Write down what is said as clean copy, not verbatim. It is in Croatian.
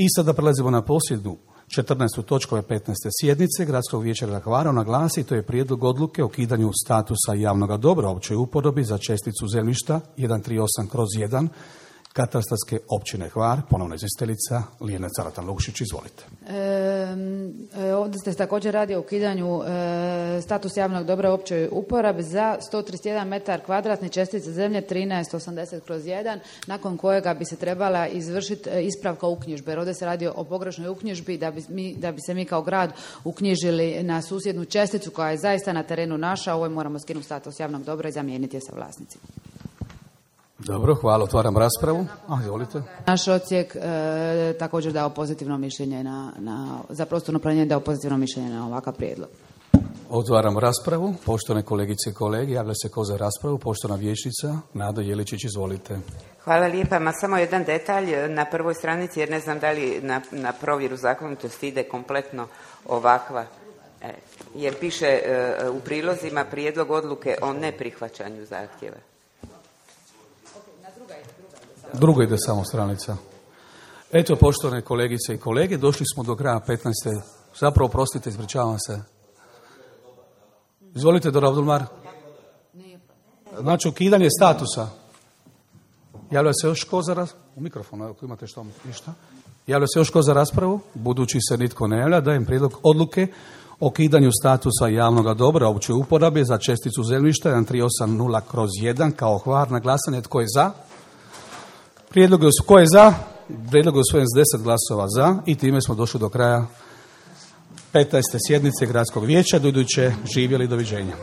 I sada prelazimo na posljednju 14. točku 15. sjednice Gradskog vijeća grada Hvara. Ona glasi, to je prijedlog odluke o ukidanju statusa javnog dobra općoj uporabi za česticu zemljišta 138/1 katastarske općine Hvar. Ponovno izvjestiteljica Lijena Caratan-Lukšić, izvolite. Ovdje se također radi o ukidanju status javnog dobra u općoj uporabi za 131 metar kvadratni čestice zemlje 1380/1, nakon kojega bi se trebala izvršiti ispravka uknjižbe. Jer ovdje se radi o pogrešnoj uknjižbi da bi se mi kao grad uknjižili na susjednu česticu koja je zaista na terenu naša. Ovo moramo skinuti status javnog dobra i zamijeniti je sa vlasnicima. Dobro, hvala. Otvaram raspravu. Izvolite. Naš odsjek također dao pozitivno mišljenje za prostorno planiranje, dao pozitivno mišljenje na ovakav prijedlog. Otvaram raspravu. Poštovane kolegice i kolege, javlja se ko za raspravu. Poštovana vijećnica Nada Jeličić, izvolite. Hvala lijepa. Samo jedan detalj na prvoj stranici, jer ne znam da li na provjeru zakonitosti ide kompletno ovakva. Jer piše u prilozima prijedlog odluke o neprihvaćanju zahtjeva. Druga ide samo stranica. Eto, poštovane kolegice i kolege, došli smo do kraja 15. Zapravo, prostite, ispričavam se. Izvolite, Dora Abdulmar. Znači, ukidanje statusa. Javlja se još ko za u mikrofonu, ako imate što ništa. Javlja se još ko za raspravu? Budući se nitko ne javlja, dajem prijedlog odluke o ukidanju statusa javnog dobra opće uporabe za česticu zemljišta 1380/1 kao Hvar. Na glasanje, tko je za? Prijedlog je tko je za? Prijedlog je usvojen s 10 glasova za i time smo došli do kraja 15. sjednice Gradskog vijeća. Do iduće, živjeli, doviđenja.